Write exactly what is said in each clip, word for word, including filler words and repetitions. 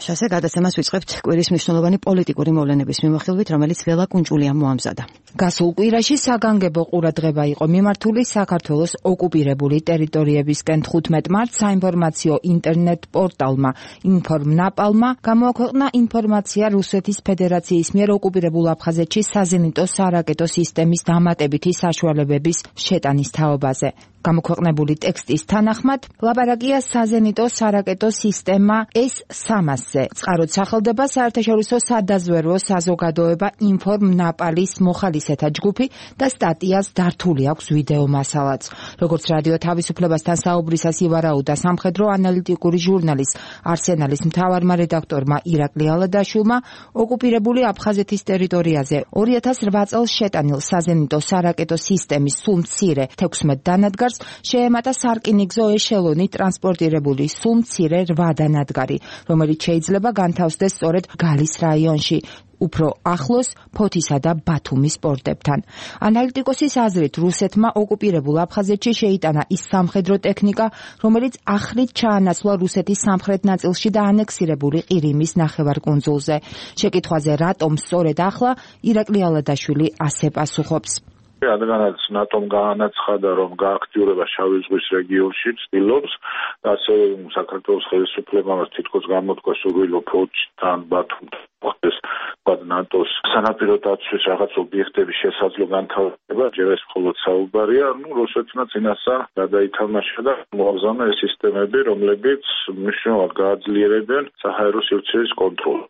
შასე გადაცემას ვიწყებთ კვირის მნიშვნელოვანი პოლიტიკური მოვლენების მიმოხილვით, რომელიც ველა კუნჭულიამ მოამზადა. გასულ კვირაში საგანგებო ყურადღება იყო მიმართული საქართველოს ოკუპირებული ტერიტორიებისკენ. თხუთმეტ მარტს საინფორმაციო ინტერნეტ პორტალმა ინფორმნაპალმა გამოაქვეყნა ინფორმაცია რუსეთის ფედერაციის მიერ ოკუპირებულ აფხაზეთში საზენიტო სარაკეტო სისტემის დამატებითი საშუალებების შეტანის თაობაზე. გამოქვეყნებული ტექსტის თანახმად, ლაპარაკია საზენიტო სარაკეტო სისტემა ეს სამასზე. წყაროდ სახელდება საერთაშორისო სადაზვერვო საზოგადოება ინფორმნაპალის მოხალისეთა ჯგუფი და სტატიას დართული აქვს ვიდეო მასალაც. როგორც რადიო თავისუფლებასთან საუბრისას ივარაუდა სამხედრო ანალიტიკური ჟურნალის არსენალის მთავარმა რედაქტორმა ირაკლი ალადაშვილმა, ოკუპირებული აფხაზეთის ტერიტორიაზე ორი ათას რვა წელს შეტანილ საზენიტო სარაკეტო სისტემის სულ მცირე თექვსმეტ დანადგარს შეემატა სარკინიგზო ეშელონი ტრანსპორტირებული სულ მცირე რვა დანადგარი, რომელიც შეიძლება განთავსდეს სწორედ გალის რაიონში, უფრო ახლოს ფოთისა და ბათუმის პორტებთან. ანალიტიკოსის აზრით, რუსეთმა ოკუპირებულ აფხაზეთში შეიტანა ის სამხედრო ტექნიკა, რომელიც ახლით ჩაანაცვლა რუსეთის სამხრეთ ნაწილში და ანექსირებული ყირიმის ნახევარკუნძულზე. შეკითხვაზე, რატომ სწორედ ახლა, ირაკლი ალადაშვილი ასე პასუხობს. რადგანაც ნატომ გაანაცხადა, რომ გააქტიურება შავი ზღვის რეგიონში ცდილობს, ასევე საქართველოს ხელისუფლებამ თითქოს გამოთქვა სურვილო ფოთთან ბათუმთან მოხდეს ნატოს სანაპირო დაცვის რაღაც ობიექტების შესაძლო განთავსება, ჯერ ეს მხოლოდ საუბარია, ну რუსეთმა წინასწარ გადაითამაშა და მოაგზავნა ეს სისტემები, რომლებიც მნიშვნელოვნად გააძლიერებენ საჰაერო სივრცეის კონტროლს.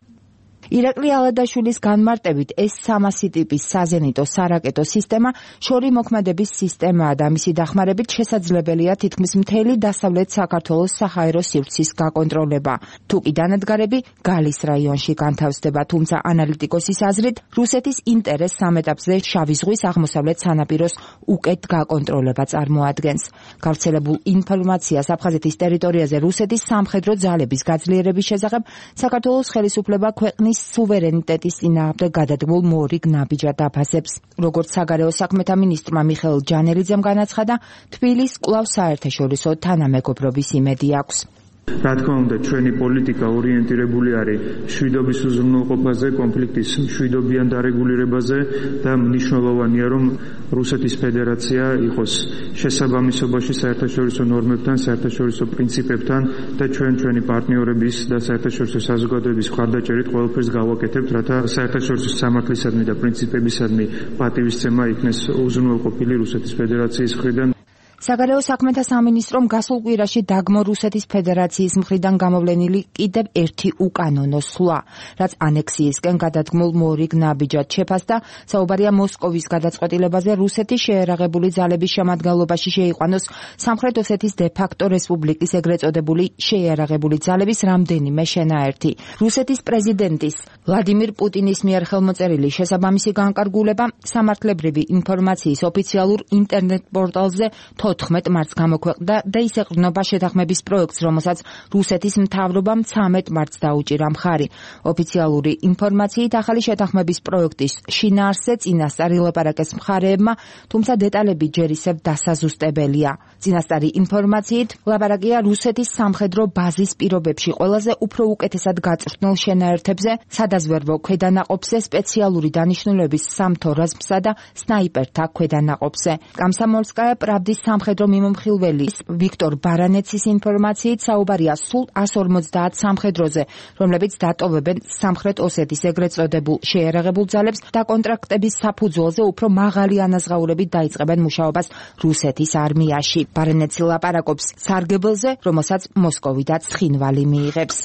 ირაკლი ალადაშვილის განმარტებით, ეს სამასი ტიპის საზენიტო სარაკეტო სისტემა შორი მოქმედების სისტემაა და მისი დახმარებით შესაძლებელია თითქმის მთელი დასავლეთ საქართველოს საჰაერო სივრცის გაკონტროლება. თუკი დანადგარები გალის რაიონში განთავსდება, თუმცა ანალიტიკოსის აზრით, რუსეთის ინტერესს ამ ეტაპზე შავი ზღვის აღმოსავლეთ სანაპიროს უკეთ გაკონტროლება წარმოადგენს. გავრცელებულ ინფორმაციას აფხაზეთის ტერიტორიაზე რუსეთის სამხედრო ძალების გაძლიერების შესახებ საქართველოს ხელისუფლება ქვეყნის სუვერენიტეტის წინააღმდეგ გადადგმულ მორიგ ნაბიჯად აფასებს. როგორც საგარეო საქმეთა მინისტრმა მიხეილ ჯანელიძემ განაცხადა, თბილისს კვლავ საერთაშორისო თანამეგობრობის იმედი აქვს. რა თქმა უნდა, ჩვენი პოლიტიკა ორიენტირებული არის მშვიდობის უზრუნველყოფაზე, კონფლიქტის მშვიდობიან დარეგულირებაზე და მნიშვნელოვანია, რომ რუსეთის ფედერაცია იყოს შესაბამისობაში საერთაშორისო ნორმებთან, საერთაშორისო პრინციპებთან და ჩვენ ჩვენი პარტნიორების და საერთაშორისო საზოგადოების მხარდაჭერით ყველაფერს გავაკეთებთ, რათა საერთაშორისო სამართლისადმი და პრინციპებისადმი პატივისცემა იქნეს უზრუნველყოფილი რუსეთის ფედერაციის მხრიდან. საგარეო საქმეთა სამინისტრომ გასულ კვირაში დაგმო რუსეთის ფედერაციის მხრიდან გამოვლენილი კიდევ ერთი უკანონო სვლა, რაც ანექსიისკენ გადადგმულ მორიგ ნაბიჯად შეფასდა. საუბარია მოსკოვის გადაწყვეტილებაზე რუსეთის შეერაღებული ძალების შემადგენლობაში შეიყვანოს სამხრეთ ოსეთის დე-ფაქტო რესპუბლიკის ეგრეთ წოდებული შეიარაღებული ძალების რამდენიმე შენაერთი. რუსეთის პრეზიდენტის ვლადიმირ პუტინის მიერ ხელმოწერილი შესაბამისი განკარგულება სამართლებრივი ინფორმაციის ოფიციალურ ინტერნეტ პორტალზე თოთხმეტ მარტს გამოქვეყნდა და ის ეყრდნობა შეთანხმების პროექტს, რომელსაც რუსეთის მთავრობამ ცამეტ მარტს დაუჭირა მხარი. ოფიციალური ინფორმაციით ახალი შეთანხმების პროექტის შინაარსზე წინასწარ ილაპარაკეს მხარეებმა, თუმცა დეტალები ჯერ ისევ დასაზუსტებელია. წინასწარი ინფორმაციით ლაპარაკია რუსეთის სამხედრო ბაზის პირობებში ყველაზე უფრო უკეთესად გაწვრთნილ შენაერთებზე, სადაზვერვო ქვედანაყოფზე, სპეციალური დანიშნულების სამთო რაზმსა და სნაიპერთა ქვედანაყოფზე. კომსომოლსკაია პრავდის სამხედრო მიმომხილველის ვიქტორ ბარანეცის ინფორმაციით საუბარია სულ ას ორმოცდაათ სამხედროზე, რომლებიც დატოვებენ სამხრეთ ოსეთის ეგრეთ წოდებულ შეიარაღებულ ძალებს და კონტრაქტების საფუძველზე უფრო მაღალი ანაზღაურებით დაიწყებენ მუშაობას რუსეთის არმიაში. ბარანეცი ლაპარაკობს სარგებელზე, რომელსაც მოსკოვიდაც ცხინვალი მიიღებს.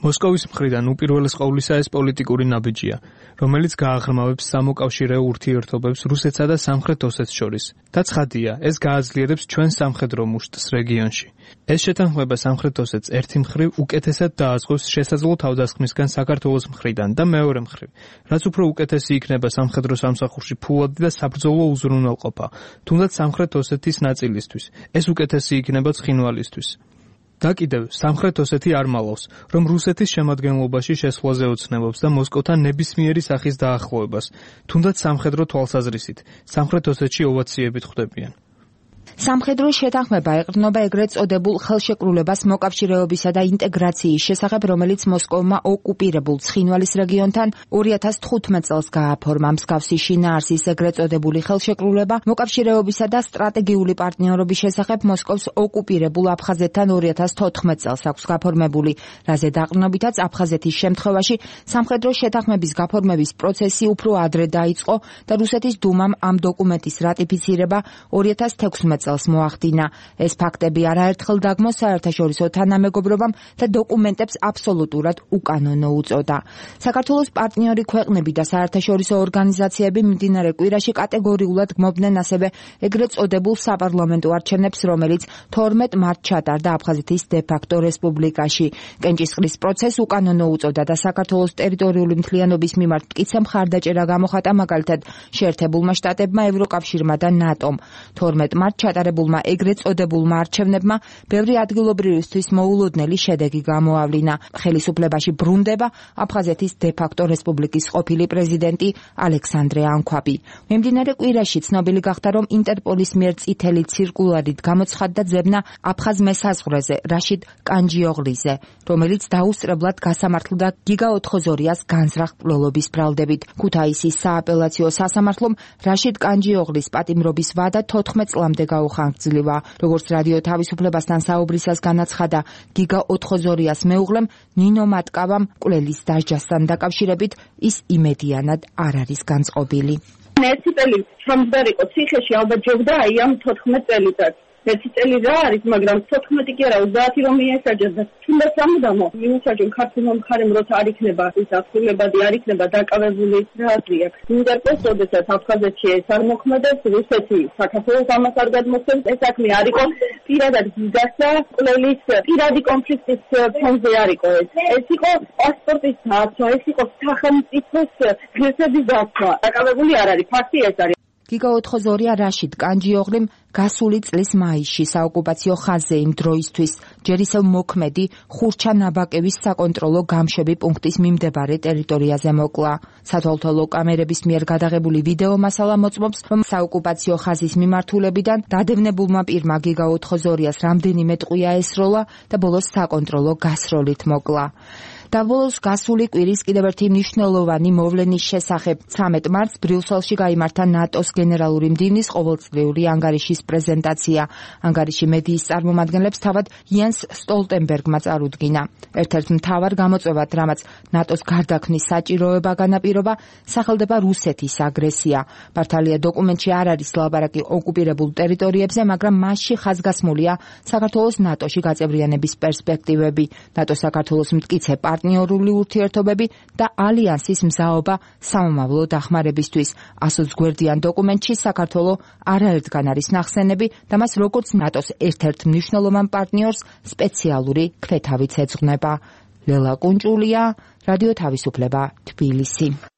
მოსკოვის მხრიდან უპირველეს ყოვლისა ეს პოლიტიკური ნაბიჯია, რომელიც გააღრმავებს სამოკავშირეო ურთიერთობებს რუსეთსა და სამხრეთ ოსეთს შორის. და ცხადია, ეს გააძლიერებს ჩვენ სამხედრო მუშტს რეგიონში. ეს შეთანხმება სამხრეთ ოსეთს ერთი მხრივ უკეთესად დააზღვევს შესაძლო თავდასხმისგან საქართველოს მხრიდან და მეორე მხრივ, რაც უფრო უკეთესი იქნება სამხედრო სამსახურში ფულადი და საბრძოლო უზრუნველყოფა, თუნდაც სამხრეთ ოსეთის ნაწილისთვის. ეს უკეთესი იქნება ცხინვალისთვის. და კიდევ სამხრეთ ოსეთი არ მალავს, რომ რუსეთის შემადგენლობაში შესვლაზე ოცნებობს და მოსკოვთან ნებისმიერი სახის დაახლოებას, თუნდაც სამხედრო თვალსაზრისით, სამხრეთ ოსეთში ოვაციებით ხვდებიან. სამხედრო შეთანხმება ეყრდნობა ეგრეთ წოდებულ ხელშეკრულებას მოკავშირეობისა და ინტეგრაციის შესახებ, რომელიც მოსკოვმა ოკუპირებულ ცხინვალის რეგიონთან ორი ათას თხუთმეტ წელს გააფორმა. მსგავსი შინაარსის ეგრეთ წოდებული ხელშეკრულება მოკავშირეობისა და სტრატეგიული პარტნიორობის შესახებ მოსკოვს ოკუპირებულ აფხაზეთთან ორი ათას თოთხმეტ წელს აქვს გაფორმებული, რაზე დაყრდნობითაც აფხაზეთის შემთხვევაში სამხედრო შეთანხმების გაფორმების პროცესი უფრო ადრე დაიწყო და რუსეთის დუმამ ამ დოკუმენტის რატიფიცირება ორი ათას თექვსმეტ წელს მოახდინა. ეს ფაქტები არაერთხელ დაგმო საერთაშორისო თანამეგობრობამ და დოკუმენტებს აბსოლუტურად უკანონო უწოდა. საქართველოს პარტნიორი ქვეყნები და საერთაშორისო ორგანიზაციები მიმდინარე კვირაში კატეგორიულად გმობდნენ ასევე ეგრეთ წოდებულ საპარლამენტო არჩევნებს, რომელიც თორმეტ მარტს ჩატარდა აფხაზეთის დე-ფაქტო რესპუბლიკაში. კენჭისყრის პროცესს უკანონო უწოდა და საქართველოს ტერიტორიული მთლიანობის მიმართ მტკიცე მხარდაჭერა გამოხატა მაგალითად შეერთებულმა შტატებმა, ევროკავშირმა და ნატომ. თორმეტ მარტს ჩატარებულმა ეგრეთ წოდებულმა არჩევნებმა ბევრი ადგილობრივისთვის მოულოდნელი შედეგი გამოავლინა. ხელისუფლებაში ბრუნდება აფხაზეთის დე-ფაქტო რესპუბლიკის ყოფილი პრეზიდენტი ალექსანდრე ანქვაბი. მიმდინარე კვირაში ცნობილი გახდა, რომ ინტერპოლის მიერ წითელი ცირკულარით გამოცხადდა ძებნა აფხაზ მესაზღვრეზე რაშიდ კანჯიოღლიზე, რომელიც დაუსწრებლად გასამართლდა გიგა ოთხოზორიას განზრახ მკვლელობის ბრალდებით. ქუთაისის სააპელაციო სასამართლომ რაშიდ კანჯიოღლის პატიმრობის ვადა თოთხმეტ წლამდე გაუხანგრძლივა. როგორც რადიო თავისუფლებასთან საუბრისას განაცხადა გიგა ოთხოზორიას მეუღლემ ნინო მატკავამ, მკვლელის დასჯასთან დაკავშირებით ის იმედიანად არ არის განწყობილი. ერთი წელი ჩამდგარ იყო ციხეში, ალბათ ჯობდა აი ამ თოთხმეტ წელიწადს. ერთი წელი რა არის, მაგრამ თოთხმეტი კი არა, ოცდაათი რომ მიესაჯეს და თუნდაც სამუდამო მიუსაჯონ ქართულმა მხარემ, როცა არ იქნება ის ასრულებადი, არ იქნება დაკავებული, რა აზრი აქვს. ინტერპოლს როდესაც აფხაზეთში ეს არ მოქმედებს, რუსეთი საქართველოს ამას არ გადმოსცემს, ეს საქმე არ იყო პირადად გიგასა მკვლელის პირადი კონფლიქტის ფონზე არ იყო ეს. ეს იყო პასპორტის დაცვა, ეს იყო სახელმწიფოს ღირსების დაცვა. დაკავებული არ არის, ფაქტი ეს არის. გიგა ოთხოზორია რაშიდ კანჯიოღლიმ გასული წლის მაისში საოკუპაციო ხაზზე იმ დროისთვის ჯერ ისევ მოქმედი ხურჩა-ნაბაკევის საკონტროლო გამშვები პუნქტის მიმდებარე ტერიტორიაზე მოკლა. სათვალთვალო კამერების მიერ გადაღებული ვიდეო მასალა მოწმობს, რომ საოკუპაციო ხაზის მიმართულებიდან დადევნებულმა პირმა გიგა ოთხოზორიას რამდენიმე ტყვია ესროლა და ბოლოს საკონტროლო გასროლით მოკლა. და ბოლოს გასული კვირის კიდევ ერთი მნიშვნელოვანი მოვლენის შესახებ. ცამეტ მარტს ბრიუსელში გაიმართა ნატოს გენერალური მდივნის ყოველწლიური ანგარიშის პრეზენტაცია. ანგარიში მედიის წარმომადგენლებს თავად იენს სტოლტენბერგმა წარუდგინა. ერთ-ერთ მთავარ გამოწვევად, რამაც ნატოს გარდაქმნის საჭიროება განაპირობა, სახელდება რუსეთის აგრესია. მართალია დოკუმენტში არ არის ლაბარაკი ოკუპირებულ ტერიტორიებზე, მაგრამ მასში ხაზგასმულია საქართველოს ნატოში გაწევრიანების პერსპექტივები, ნატო საქართველოს მტკიცე პარტნიორული ურთიერთობები და ალიანსის მზაობა სამომავლო დახმარებისთვის. ასოც გვერდიან დოკუმენტში საქართველო არაერთგან არის ნახსენები და მას როგორც ნატოს ერთ-ერთ მნიშვნელოვან პარტნიორს სპეციალური ქვეთავიც ეძღვნება. ლელა კუნჭულია, რადიო თავისუფლება, თბილისი.